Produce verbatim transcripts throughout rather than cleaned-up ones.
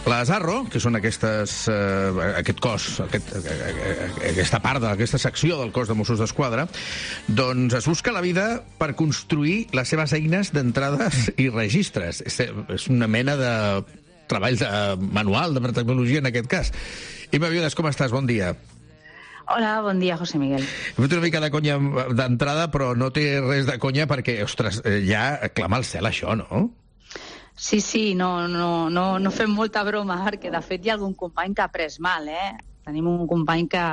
Les Arro, que són aquestes, eh, aquest cos, aquest, aquesta part d'aquesta secció del cos de Mossos d'Esquadra, doncs es busca la vida per construir les seves eines d'entrades i registres. És, és una mena de treball de manual, de tecnologia en aquest cas. Imma Biodes, com estàs? Bon dia. Hola, bon dia, José Miguel. He fet una mica de conya d'entrada, però no té res de conya perquè, ostres, ja clama al cel això, no? Sí, sí, no, no, no, no fem molta broma, perquè de fet hi ha algun company que ha pres mal, eh? Tenim un company que,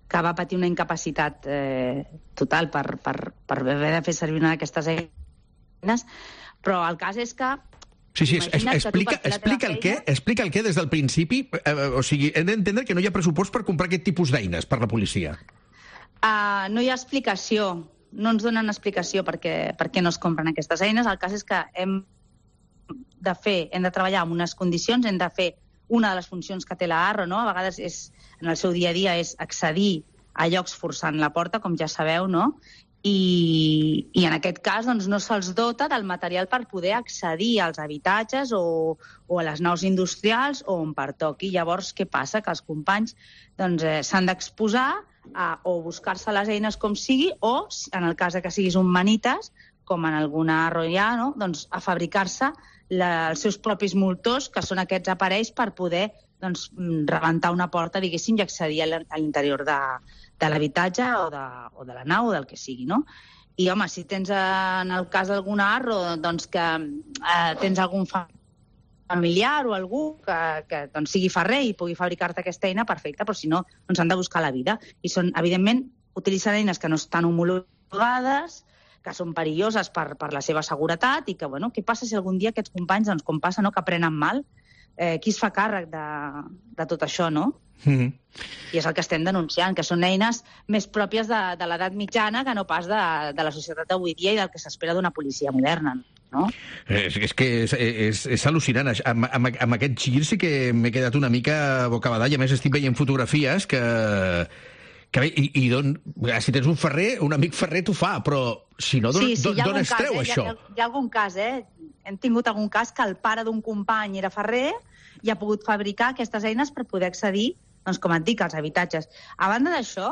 que va patir una incapacitat eh, total per, per, per haver de fer servir una d'aquestes eines, però el cas és que... Sí, sí, es, explica, explica, el què, explica el què des del principi, eh, o sigui, hem d'entendre que no hi ha pressupost per comprar aquest tipus d'eines per la policia. Uh, no hi ha explicació, no ens donen explicació perquè, per què no es compren aquestes eines. El cas és que hem de fer, hem de treballar en unes condicions, hem de fer una de les funcions que té la Arro, no? A vegades és, en el seu dia a dia és accedir a llocs forçant la porta, com ja sabeu, no? I, i en aquest cas doncs, no se'ls dota del material per poder accedir als habitatges o, o a les naus industrials o on pertoqui. Llavors, què passa? Que els companys doncs, eh, s'han d'exposar a, o buscar-se les eines com sigui o, en el cas de que siguis un manites, com en alguna Arro hi ha, no? Doncs, a fabricar-se la, els seus propis moltors, que són aquests aparells per poder doncs, rebentar una porta, diguéssim, i accedir a l'interior de, de l'habitatge o, de, o de la nau o del que sigui, no? I, home, si tens, en el cas d'alguna Arro, doncs que eh, tens algun familiar o algú que, que doncs, sigui ferrer i pugui fabricar-te aquesta eina, perfecte, però si no, doncs han de buscar la vida. I són, evidentment, utilitzen eines que no estan homologades, que són perilloses per, per la seva seguretat i que, bueno, què passa si algun dia aquests companys, doncs, com passa, no?, que prenen mal? Eh, qui es fa càrrec de, de tot això, no? Mm-hmm. I és el que estem denunciant, que són eines més pròpies de, de l'edat mitjana que no pas de, de la societat d'avui dia i del que s'espera d'una policia moderna, no? És, és que és, és, és al·lucinant. Amb, amb, amb aquest gir sí que m'he quedat una mica bocabadall. A més, estic veient fotografies que... Que bé, i, i don, si tens un ferrer, un amic ferrer t'ho fa, però si no, d'on sí, sí, es treu eh? això? Hi ha, hi ha algun cas, eh? Hem tingut algun cas que el pare d'un company era ferrer i ha pogut fabricar aquestes eines per poder accedir, doncs, com et dic, als habitatges. A banda d'això,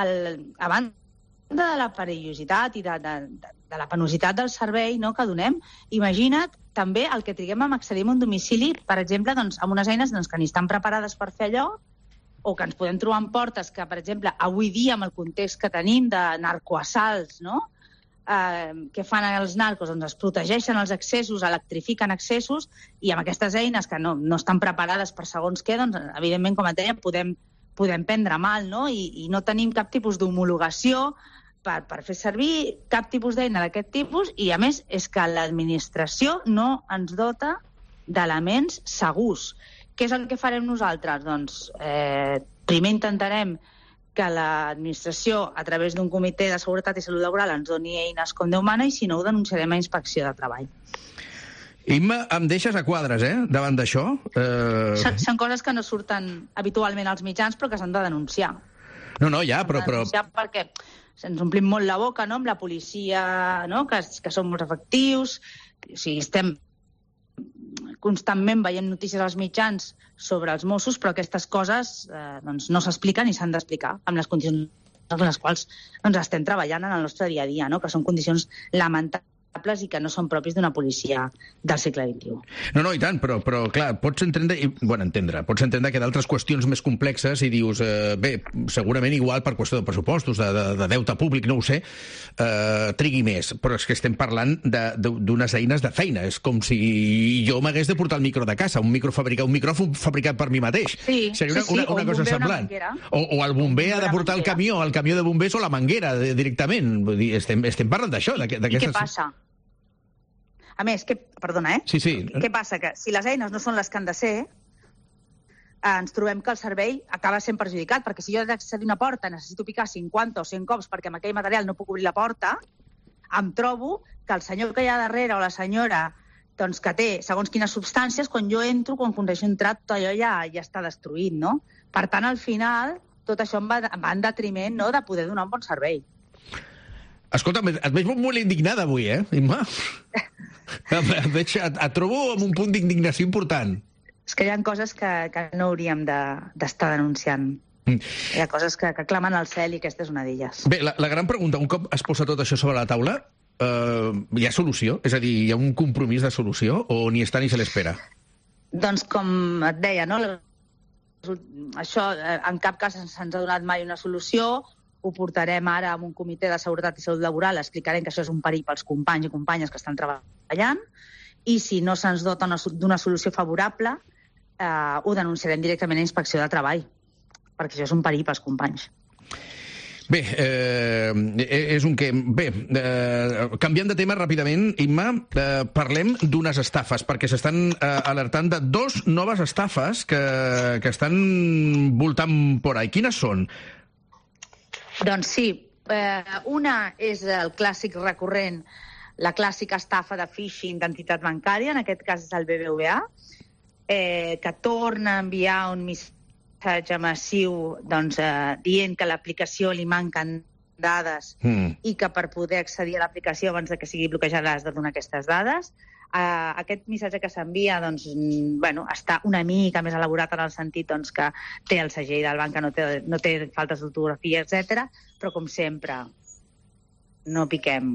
el, a banda de la perillositat i de, de, de, de la penositat del servei, no?, que donem, imagina't també el que triguem a accedir a un domicili, per exemple, doncs, amb unes eines doncs, que ni estan preparades per fer allò, o que ens podem trobar en portes que, per exemple, avui dia, amb el context que tenim de narcoassalts, no?, eh, que fan els narcos, doncs es protegeixen els accessos, electrifiquen accessos, i amb aquestes eines que no, no estan preparades per segons què, doncs, evidentment, com et deia, podem, podem prendre mal, no?, I, i no tenim cap tipus d'homologació per, per fer servir cap tipus d'eina d'aquest tipus, i, a més, és que l'administració no ens dota d'elements segurs. Què és el que farem nosaltres? Doncs eh, primer intentarem que l'administració, a través d'un comitè de seguretat i salut laboral, ens doni eines com Déu mana, i si no, ho denunciarem a Inspecció de Treball. Imma, em deixes a quadres, eh?, davant d'això. Eh... Són, són coses que no surten habitualment als mitjans, però que s'han de denunciar. No, no, ja, però... però... Perquè ens omplim molt la boca, no?, amb la policia, no?, que, que són molts efectius, o sigui, estem... constantment veiem notícies als mitjans sobre els Mossos, però aquestes coses eh, doncs no s'expliquen i s'han d'explicar amb les condicions en les quals doncs, estem treballant en el nostre dia a dia, no? Que són condicions lamentables i que no són propis d'una policia del segle vint-i-u. No, no, i tant, però, però clar, pots entendre, i, bueno, entendre, pots entendre que d'altres qüestions més complexes i dius, eh, bé, segurament igual per qüestió de pressupostos, de, de, de deute públic, no ho sé, eh, trigui més, però és que estem parlant d'unes eines de feina, és com si jo m'hagués de portar el micro de casa, un micro fabricat, un micròfon fabricat per mi mateix. Sí, seria una, sí, sí, una, una cosa semblant. O, o el bomber ha de portar el camió, el camió de bombers o la manguera directament. Vull dir, estem, estem parlant d'això. I, I què passa? A més, que, perdona, eh? Sí, sí. Què passa? Que si les eines no són les que han de ser, eh, ens trobem que el servei acaba sent perjudicat, perquè si jo he d'accedir a una porta necessito picar cinquanta o cent cops perquè amb aquell material no puc obrir la porta, em trobo que el senyor que hi ha darrere o la senyora doncs, que té segons quines substàncies, quan jo entro, quan aconsegueixo entrar, tot allò ja, ja està destruït, no? Per tant, al final, tot això em va, em va en detriment, no?, de poder donar un bon servei. Escolta, et veig molt indignada avui, eh, Imma? Et, veig, et, et trobo amb un punt d'indignació important. És que hi ha coses que, que no hauríem d'estar de, denunciant. Mm. Hi ha coses que, que clamen al cel i aquesta és una d'elles. Bé, la, la gran pregunta, un cop es posa tot això sobre la taula, eh, hi ha solució? És a dir, hi ha un compromís de solució o ni està ni se l'espera? Doncs com et deia, no? Això en cap cas se'ns ha donat mai una solució. Ho portarem ara amb un comitè de seguretat i salut laboral, explicarem que això és un perill pels companys i companyes que estan treballant, i si no se'ns dota d'una solució favorable, eh, ho denunciarem directament a Inspecció de Treball, perquè això és un perill pels companys. Bé, eh, és un que... Bé, eh, canviant de tema ràpidament, Imma, eh, parlem d'unes estafes, perquè s'estan eh, alertant de dos noves estafes que, que estan voltant por ahí. Quines són? Doncs sí, eh, una és el clàssic recurrent, la clàssica estafa de phishing d'entitat bancària, en aquest cas és el B B V A, eh, que torna a enviar un missatge massiu doncs, eh, dient que a l'aplicació li manquen dades mm. i que per poder accedir a l'aplicació abans de que sigui bloquejada has de donar aquestes dades. Uh, aquest missatge que s'envia doncs, bueno, està una mica més elaborat en el sentit doncs, que té el segell del banc, que no té, no té faltes d'ortografia, etcètera. Però, com sempre, no piquem.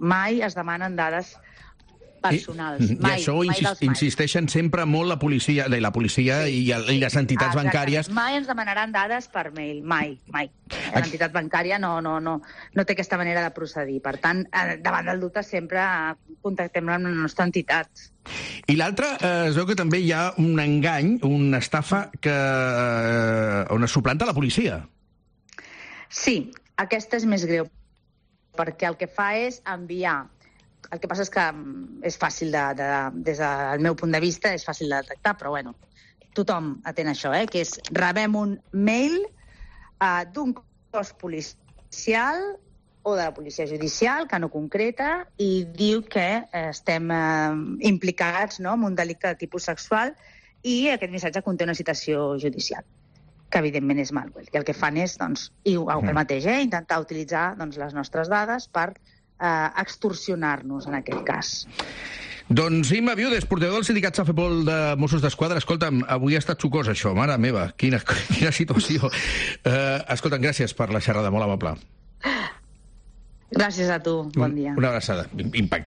Mai es demanen dades personals. I, mai, I això mai insist, insisteixen sempre molt la policia, la policia sí, i, i les entitats exactament. bancàries. Mai ens demanaran dades per mail, mai, mai. L'entitat bancària no, no, no, no té aquesta manera de procedir. Per tant, davant del dubte sempre contactem amb la nostra entitat. I l'altre, eh, es veu que també hi ha un engany, una estafa que, eh, on es suplanta la policia. Sí, aquesta és més greu, perquè el que fa és enviar. El que passa és que és fàcil, de, de, des del meu punt de vista, és fàcil de detectar, però bueno, tothom atén això, eh? Que és rebem un mail uh, d'un cos policial o de la policia judicial que no concreta i diu que eh, estem eh, implicats, no?, en un delicte de tipus sexual i aquest missatge conté una citació judicial, que evidentment és malware. I el que fan és, doncs, i el mateix, eh? Intentar utilitzar doncs, les nostres dades per eh, extorsionar-nos, en aquest cas. Doncs Imma Viudes, portaveu del sindicat Safepol de Mossos d'Esquadra. Escolta'm, avui ha estat sucós això, mare meva, quina, quina situació. Uh, escolta'm, gràcies per la xerrada, molt amable. Gràcies a tu, bon dia. Una abraçada, impactant.